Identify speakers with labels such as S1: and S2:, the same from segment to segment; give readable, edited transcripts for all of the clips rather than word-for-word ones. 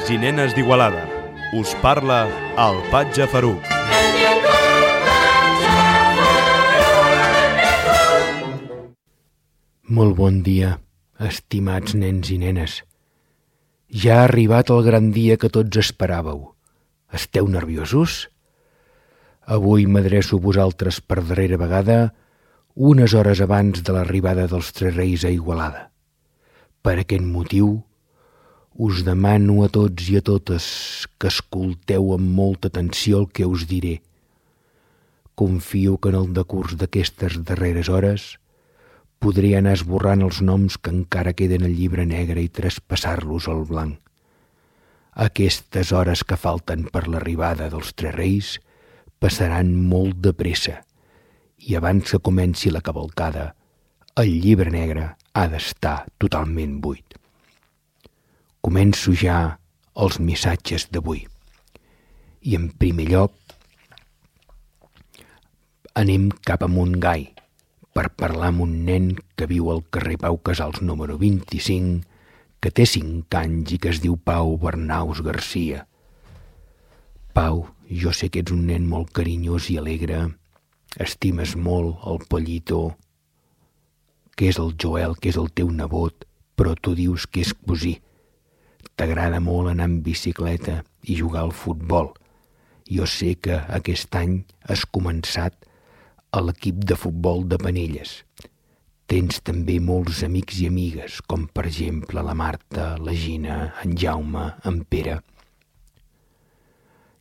S1: Nens i nenes d'Igualada. Us parla el Patge Faruc.
S2: Molt bon dia, estimats nens i nenes. Ja ha arribat el gran dia que tots esperàveu. Esteu nerviosos? Avui m'adreço a vosaltres per darrera vegada, unes hores abans de l'arribada dels Tres Reis a Igualada. Per aquest motiu, us demano a tots i a totes que escolteu amb molta atenció el que us diré. Confio que en el decurs d'aquestes darreres hores podré anar esborrant els noms que encara queden al llibre negre i traspassar-los al blanc. Aquestes hores que falten per l'arribada dels Tres Reis passaran molt de pressa i abans que comenci la cavalcada, el llibre negre ha d'estar totalment buit. Començo ja els missatges d'avui. I en primer lloc anem cap a Montgai per parlar amb un nen que viu al carrer Pau Casals número 25, que té 5 anys i que es diu Pau Bernaus Garcia. Pau, jo sé que ets un nen molt carinyós i alegre, estimes molt el Pollito, que és el Joel, que és el teu nebot, però tu dius que és cosí. T'agrada molt anar en bicicleta i jugar al futbol. Jo sé que aquest any has començat a l'equip de futbol de Penelles. Tens també molts amics i amigues, com per exemple la Marta, la Gina, en Jaume, en Pere.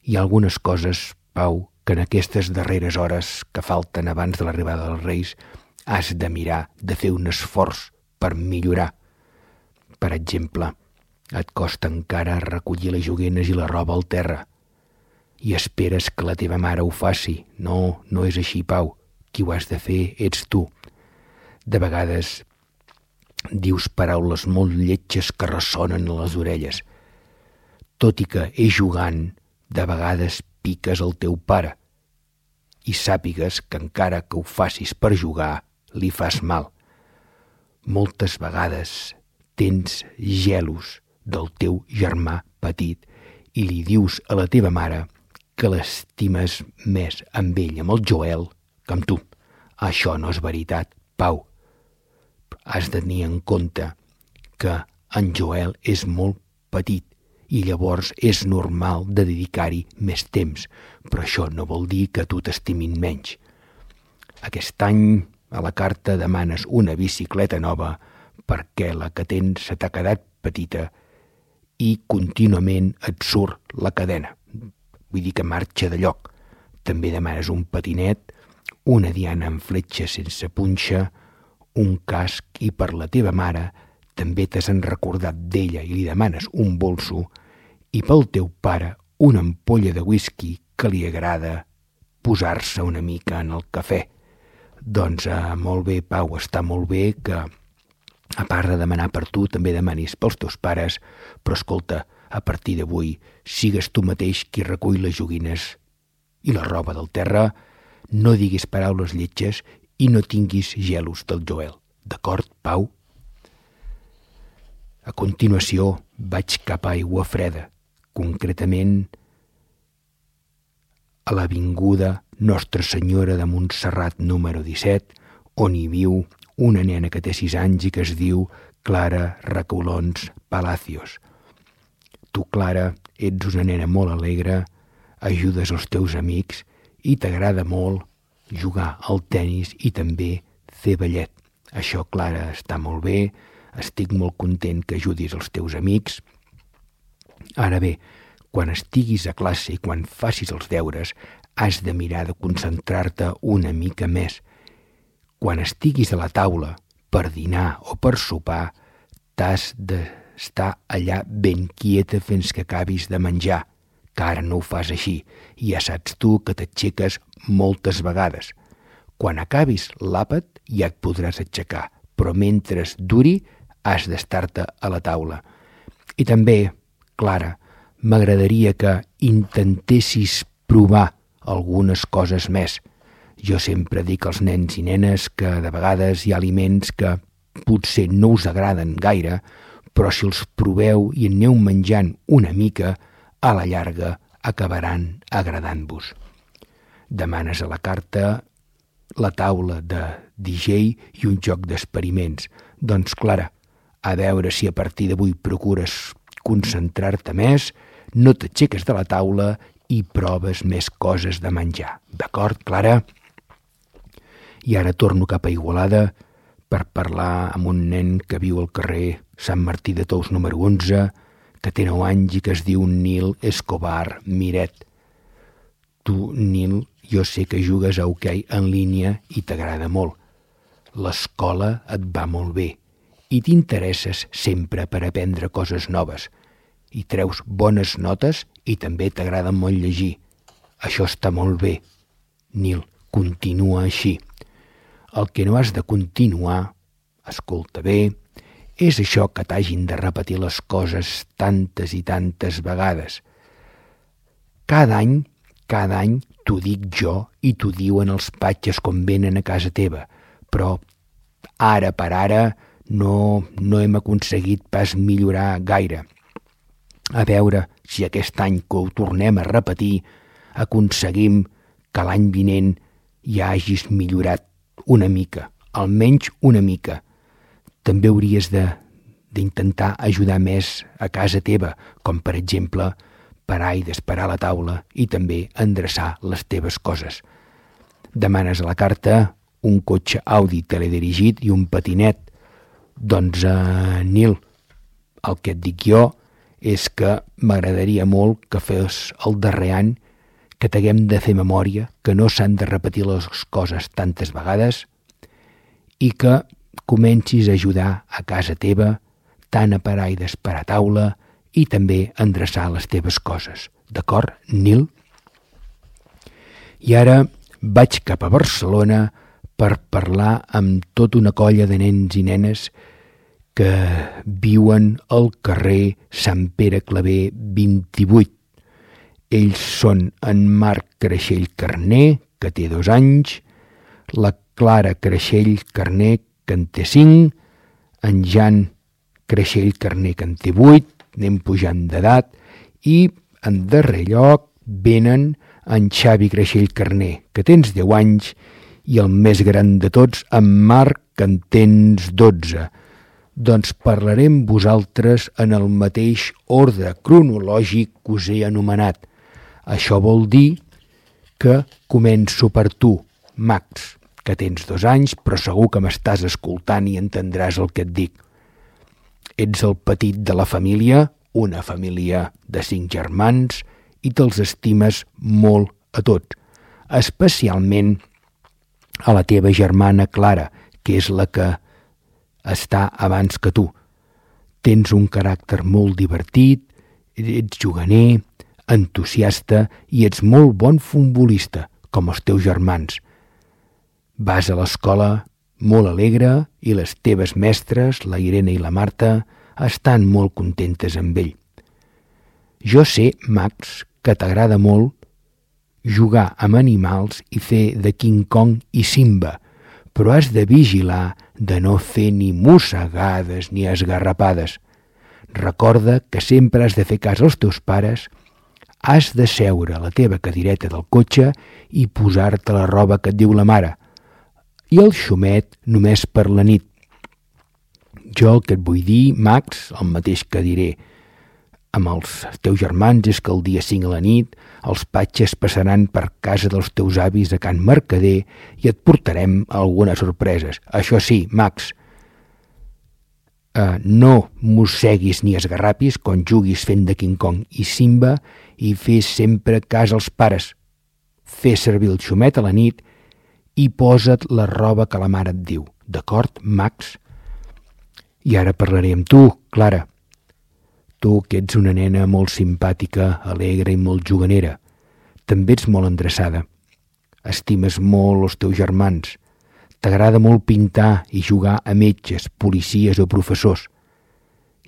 S2: Hi ha algunes coses, Pau, que en aquestes darreres hores que falten abans de l'arribada dels Reis has de mirar, de fer un esforç per millorar. Per exemple, et costa encara recollir les joguines i la roba al terra i esperes que la teva mare ho faci. No, no és així, Pau. Qui ho has de fer ets tu. De vegades dius paraules molt lletges que ressonen a les orelles. Tot i que és jugant, de vegades piques el teu pare i sàpigues que encara que ho facis per jugar, li fas mal. Moltes vegades tens gelos del teu germà petit i li dius a la teva mare que l'estimes més amb ell, amb el Joel, que amb tu. Això no és veritat, Pau. Has de tenir en compte que en Joel és molt petit i llavors és normal de dedicar-hi més temps, però això no vol dir que tu t'estimin menys. Aquest any a la carta demanes una bicicleta nova perquè la que tens se t'ha quedat petita i contínuament et surt la cadena. Vull dir que marxa de lloc. També demanes un patinet, una diana amb fletxa sense punxa, un casc i per la teva mare també t'has recordat d'ella i li demanes un bolso i pel teu pare una ampolla de whisky que li agrada posar-se una mica en el cafè. Doncs molt bé, Pau, està molt bé que a part de demanar per tu també demanis pels teus pares, però escolta, a partir d'avui sigues tu mateix qui recull les joguines i la roba del terra, no diguis paraules lletges i no tinguis gelos del Joel. D'acord, Pau? A continuació vaig cap a Aigua Freda, concretament a l'avinguda Nostra Senyora de Montserrat número 17, on hi viu una nena que té 6 anys i que es diu Clara Recolons Palacios. Tu, Clara, ets una nena molt alegre, ajudes els teus amics i t'agrada molt jugar al tenis i també fer ballet. Això, Clara, està molt bé, estic molt content que ajudis els teus amics. Ara bé, quan estiguis a classe i quan facis els deures, has de mirar de concentrar-te una mica més. Quan estiguis a la taula per dinar o per sopar, t'has d'estar allà ben quieta fins que acabis de menjar, que ara no ho fas així, i ja saps tu que t'aixeques moltes vegades. Quan acabis l'àpat ja et podràs aixecar, però mentre duri has d'estar-te a la taula. I també, Clara, m'agradaria que intentessis provar algunes coses més. Jo sempre dic als nens i nenes que de vegades hi ha aliments que potser no us agraden gaire, però si els proveu i en aneu menjant una mica, a la llarga acabaran agradant-vos. Demanes a la carta la taula de DJ i un joc d'experiments. Doncs, Clara, a veure si a partir d'avui procures concentrar-te més, no t'aixeques de la taula i proves més coses de menjar. D'acord, Clara? I ara torno cap a Igualada per parlar amb un nen que viu al carrer Sant Martí de Tous número 11, que té 9 anys i que es diu Nil Escobar Miret. Tu, Nil, jo sé que jugues a hoquei en línia i t'agrada molt. L'escola et va molt bé i t'interesses sempre per aprendre coses noves. I treus bones notes i també t'agrada molt llegir. Això està molt bé. Nil, continua així. El que no has de continuar, escolta bé, és això que t'hagin de repetir les coses tantes i tantes vegades. Cada any t'ho dic jo i t'ho diuen els patges quan venen a casa teva, però ara per ara no hem aconseguit pas millorar gaire. A veure si aquest any que ho tornem a repetir aconseguim que l'any vinent ja hagis millorat una mica, almenys una mica. També hauries d'intentar ajudar més a casa teva, com per exemple parar i desparar la taula i també endreçar les teves coses. Demanes a la carta un cotxe Audi teledirigit i un patinet. Doncs, Nil, el que et dic jo és que m'agradaria molt que fes el darrer any que t'haguem de fer memòria, que no s'han de repetir les coses tantes vegades i que comencis a ajudar a casa teva tant a parar i desparar taula i també a endreçar les teves coses. D'acord, Nil? I ara vaig cap a Barcelona per parlar amb tota una colla de nens i nenes que viuen al carrer Sant Pere Claver 28. Ells són en Marc Creixell Carné, que té 2 anys, la Clara Creixell Carné, que en té 5, en Jan Creixell Carné, que en té 8, anem pujant d'edat, i en darrer lloc venen en Xavi Creixell Carné, que tens 10 anys, i el més gran de tots, en Marc, que en tens 12. Doncs parlaré amb vosaltres en el mateix ordre cronològic que us he anomenat. Això vol dir que començo per tu, Max, que tens 2 anys, però segur que m'estàs escoltant i entendràs el que et dic. Ets el petit de la família, una família de 5 germans, i te'ls estimes molt a tots, especialment a la teva germana Clara, que és la que està abans que tu. Tens un caràcter molt divertit, ets juganer, entusiasta i ets molt bon futbolista, com els teus germans. Vas a l'escola molt alegre i les teves mestres, la Irene i la Marta, estan molt contentes amb ell. Jo sé, Max, que t'agrada molt jugar amb animals i fer de King Kong i Simba, però has de vigilar de no fer ni mossegades ni esgarrapades. Recorda que sempre has de fer cas als teus pares, has de seure a la teva cadireta del cotxe i posar-te la roba que et diu la mare, i el xumet només per la nit. Jo el que et vull dir, Max, el mateix que diré amb els teus germans, és que el dia 5 a la nit els patges passaran per casa dels teus avis a Can Mercader i et portarem algunes sorpreses. Això sí, Max, no mosseguis ni esgarrapis quan juguis fent de King Kong i Simba i fes sempre cas als pares. Fes servir el xumet a la nit i posa't la roba que la mare et diu. D'acord, Max? I ara parlaré amb tu, Clara. Tu, que ets una nena molt simpàtica, alegre i molt juganera. També ets molt endreçada. Estimes molt els teus germans. T'agrada molt pintar i jugar a metges, policies o professors.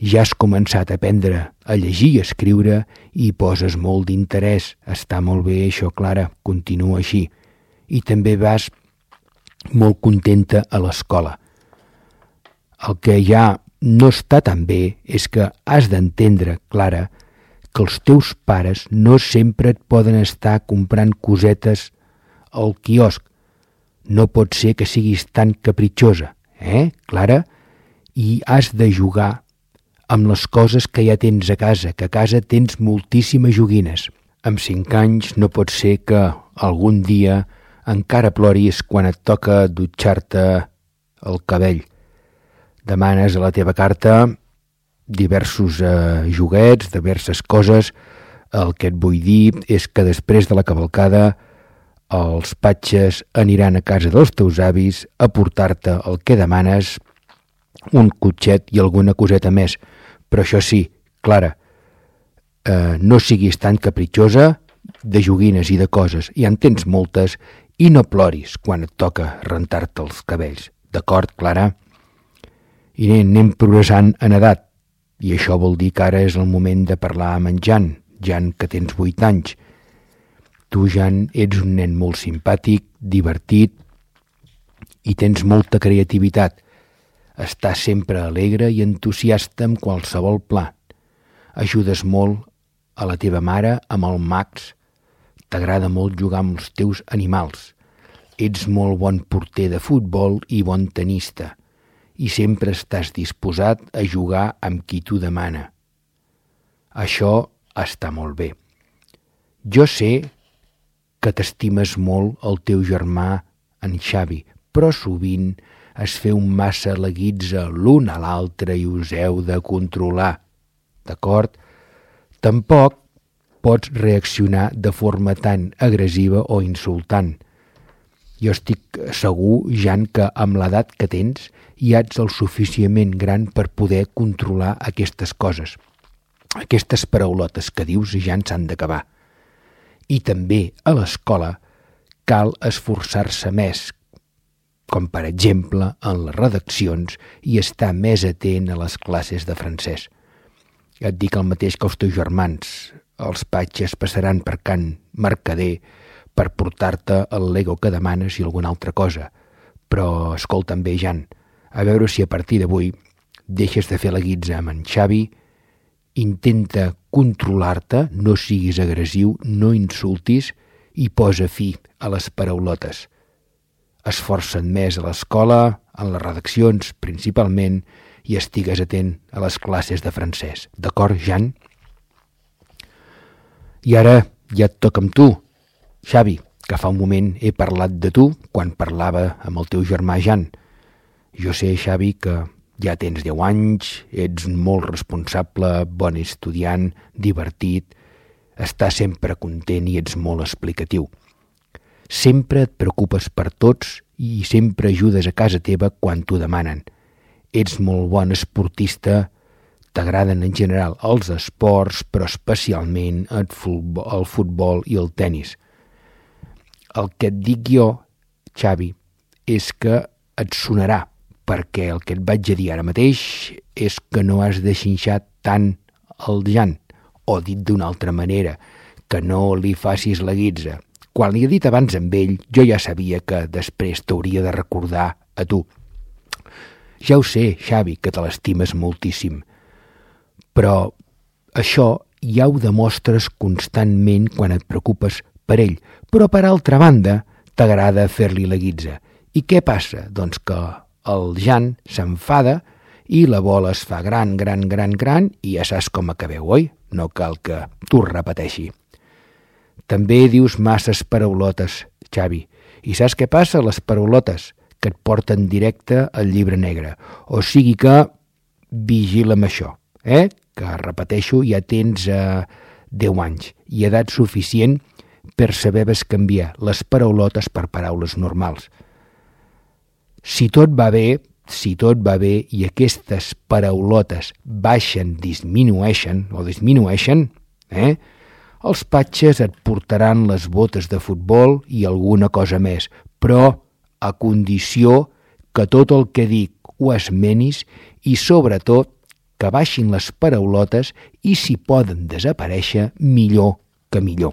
S2: Ja has començat a aprendre a llegir i a escriure i poses molt d'interès. Està molt bé això, Clara, continua així. I també vas molt contenta a l'escola. El que ja no està tan bé és que has d'entendre, Clara, que els teus pares no sempre et poden estar comprant cosetes al quiosc. No pot ser que siguis tan capritxosa, Clara? I has de jugar amb les coses que ja tens a casa, que a casa tens moltíssimes joguines. Amb 5 anys no pot ser que algun dia encara ploris quan et toca dutxar-te el cabell. Demanes a la teva carta diversos joguets, diverses coses. El que et vull dir és que després de la cavalcada els patges aniran a casa dels teus avis a portar-te el que demanes, un cotxet i alguna coseta més. Però això sí, Clara, no siguis tan capritxosa de joguines i de coses. Ja en tens moltes i no ploris quan et toca rentar-te els cabells. D'acord, Clara? I anem progressant en edat. I això vol dir que ara és el moment de parlar amb en Jan, que tens 8 anys. Tu, Jan, ets un nen molt simpàtic, divertit i tens molta creativitat. Estàs sempre alegre i entusiasta amb qualsevol pla. Ajudes molt a la teva mare amb el Max. T'agrada molt jugar amb els teus animals. Ets molt bon porter de futbol i bon tenista. I sempre estàs disposat a jugar amb qui t'ho demana. Això està molt bé. Jo sé que t'estimes molt el teu germà, en Xavi, però sovint es feu massa leguits l'un a l'altre i us heu de controlar. D'acord? Tampoc pots reaccionar de forma tan agressiva o insultant. Jo estic segur, Jan, que amb l'edat que tens ja ets el suficientment gran per poder controlar aquestes coses. Aquestes paraulotes que dius ja en s'han d'acabar. I també a l'escola cal esforçar-se més, com per exemple en les redaccions i estar més atent a les classes de francès. Et dic el mateix que els teus germans. Els patges passaran per Can Mercader per portar-te el Lego que demanes i alguna altra cosa. Però escolta'm bé, Jan, a veure si a partir d'avui deixes de fer la guitza amb en Xavi, intenta controlar-te, no siguis agressiu, no insultis i posa fi a les paraulotes. Esforça't més a l'escola, en les redaccions principalment, i estigues atent a les classes de francès. D'acord, Jan? I ara ja et toca amb tu, Xavi, que fa un moment he parlat de tu quan parlava amb el teu germà Jan. Jo sé, Xavi, que ja tens 10 anys, ets molt responsable, bon estudiant, divertit, estàs sempre content i ets molt explicatiu. Sempre et preocupes per tots i sempre ajudes a casa teva quan t'ho demanen. Ets molt bon esportista, t'agraden en general els esports, però especialment el futbol i el tennis. El que et dic jo, Xavi, és que et sonarà, perquè el que et vaig a dir ara mateix és que no has de xinxar tant el Jan, o dit d'una altra manera, que no li facis la guitza. Quan li he dit abans amb ell, jo ja sabia que després t'hauria de recordar a tu. Ja ho sé, Xavi, que te l'estimes moltíssim, però això ja ho demostres constantment quan et preocupes per ell, però per altra banda t'agrada fer-li la guitza. I què passa? Doncs que el Jan s'enfada i la bola es fa gran i ja saps com acabeu, oi? No cal que t'ho repeteixi. També dius masses paraulotes, Xavi. I saps què passa? Les paraulotes que et porten directe al llibre negre. O sigui que vigila amb això, que repeteixo, ja tens 10 anys i edat suficient per saber bescanviar les paraulotes per paraules normals. Si tot va bé i aquestes paraulotes disminueixen, els patges et portaran les botes de futbol i alguna cosa més, però a condició que tot el que dic ho esmenis i sobretot que baixin les paraulotes i si poden desaparèixer, millor que millor.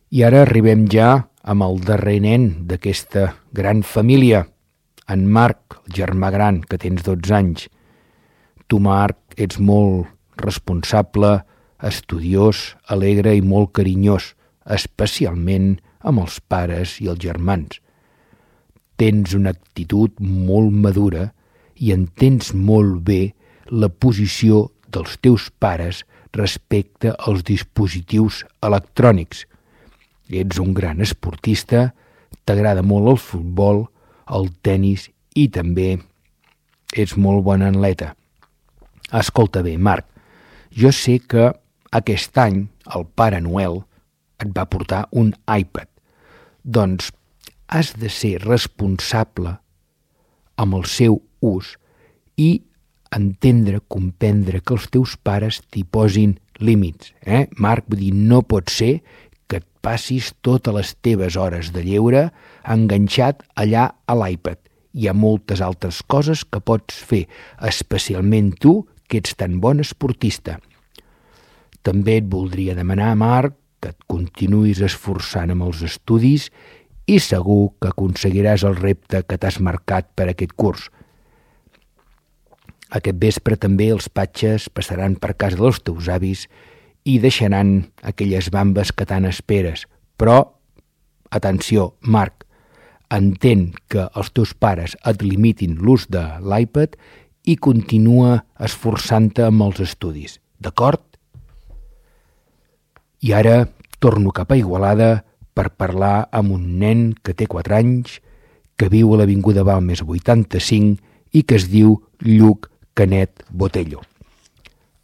S2: I ara arribem ja amb el darrer nen d'aquesta gran família, En Marc, el germà gran, que tens 12 anys. Tu, Marc, ets molt responsable, estudiós, alegre i molt carinyós, especialment amb els pares i els germans. Tens una actitud molt madura i entens molt bé la posició dels teus pares respecte als dispositius electrònics. Ets un gran esportista, t'agrada molt el futbol, el tennis i també ets molt bon atleta. Escolta bé, Marc, jo sé que aquest any el Pare Noel et va portar un iPad. Doncs has de ser responsable amb el seu ús i entendre, comprendre que els teus pares t'hi posin límits. Marc, vull dir, no pot ser que et passis totes les teves hores de lleure enganxat allà a l'iPad. Hi ha moltes altres coses que pots fer, especialment tu, que ets tan bon esportista. També et voldria demanar, Marc, que et continuïs esforçant amb els estudis i segur que aconseguiràs el repte que t'has marcat per aquest curs. Aquest vespre també els patges passaran per casa dels teus avis i deixaran aquelles bambes que tant esperes. Però, atenció, Marc, entén que els teus pares et limitin l'ús de l'iPad i continua esforçant-te amb els estudis, d'acord? I ara torno cap a Igualada per parlar amb un nen que té 4 anys, que viu a l'avinguda Balmes 85 i que es diu Lluc Canet Botello.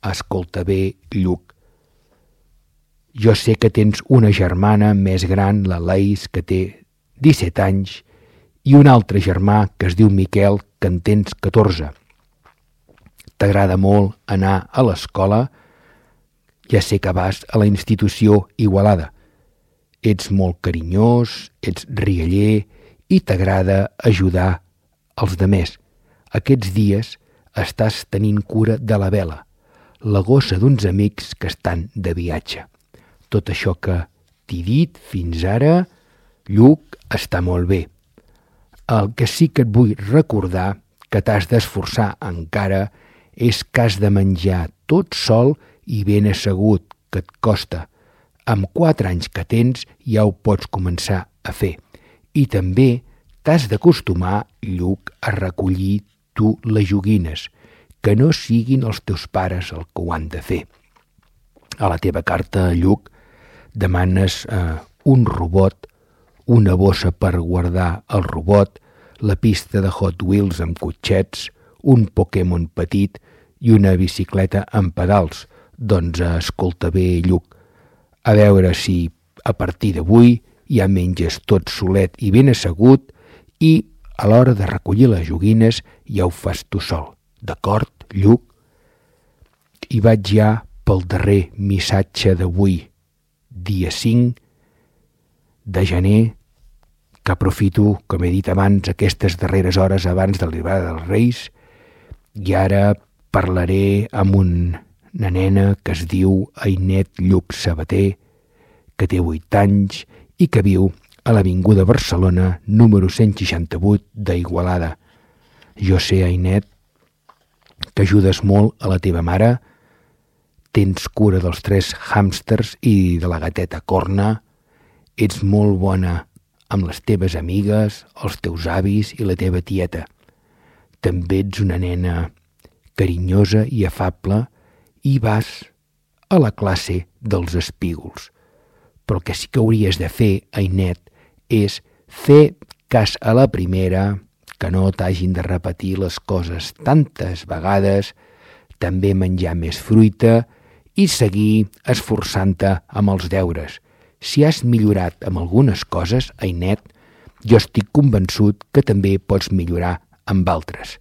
S2: Escolta bé, Lluc. Jo sé que tens una germana més gran, la Laís, que té 17 anys, i un altre germà que es diu Miquel, que en tens 14. T'agrada molt anar a l'escola, ja sé que vas a la institució Igualada. Ets molt carinyós, ets rialler i t'agrada ajudar els demés. Aquests dies estàs tenint cura de la Vela, la gossa d'uns amics que estan de viatge. Tot això que t'he dit fins ara, Lluc, està molt bé. El que sí que et vull recordar que t'has d'esforçar encara és que has de menjar tot sol i ben assegut, que et costa. Amb 4 anys que tens ja ho pots començar a fer. I també t'has d'acostumar, Lluc, a recollir tu les joguines, que no siguin els teus pares el que ho han de fer. A la teva carta, Lluc, demanes un robot, una bossa per guardar el robot, la pista de Hot Wheels amb cotxets, un Pokémon petit i una bicicleta amb pedals. Doncs escolta bé, Lluc, a veure si a partir d'avui ja menges tot solet i ben assegut i a l'hora de recollir les joguines ja ho fas tu sol. D'acord, Lluc? I vaig ja pel darrer missatge d'avui, dia 5 de gener, que aprofito, com he dit abans, aquestes darreres hores abans de l'arribada dels Reis, i ara parlaré amb una nena que es diu Ainet Lluc Sabater, que té 8 anys i que viu a l'avinguda Barcelona, número 168 d'Igualada. Jo sé, Ainet, que ajudes molt a la teva mare, tens cura dels 3 hàmsters i de la gateta Corna, ets molt bona amb les teves amigues, els teus avis i la teva tieta. També ets una nena carinyosa i afable i vas a la classe dels espígols. Però el que sí que hauries de fer, Ainet, és fer cas a la primera, que no t'hagin de repetir les coses tantes vegades, també menjar més fruita i seguir esforçant-te amb els deures. Si has millorat amb algunes coses, Ainet, jo estic convençut que també pots millorar amb altres.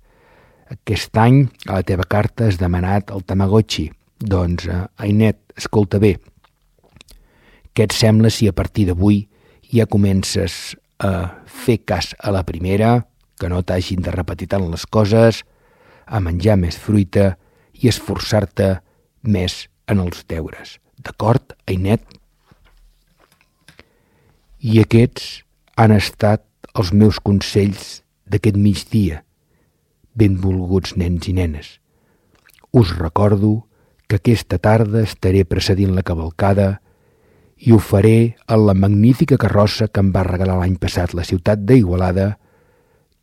S2: Aquest any a la teva carta has demanat el Tamagotchi. Doncs, Ainet, escolta bé, què et sembla si a partir d'avui ja comences a fer cas a la primera, que no t'hagin de repetir tant les coses, a menjar més fruita i esforçar-te més en els deures. D'acord, Ainet? I aquests han estat els meus consells d'aquest migdia. Benvolguts nens i nenes, us recordo que aquesta tarda estaré precedint la cavalcada i ho faré en la magnífica carrossa que em va regalar l'any passat la ciutat d'Igualada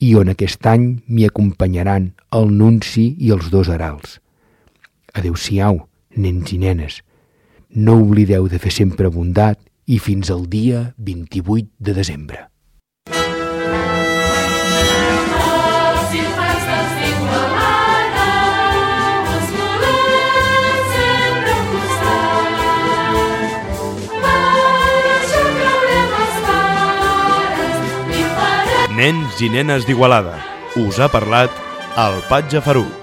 S2: i on aquest any m'hi acompanyaran el nunci i els 2 herals. Adéu-siau, nens i nenes. No oblideu de fer sempre bondat i fins al dia 28 de desembre.
S1: Nens i nenes d'Igualada. Us ha parlat el Patge Faruc.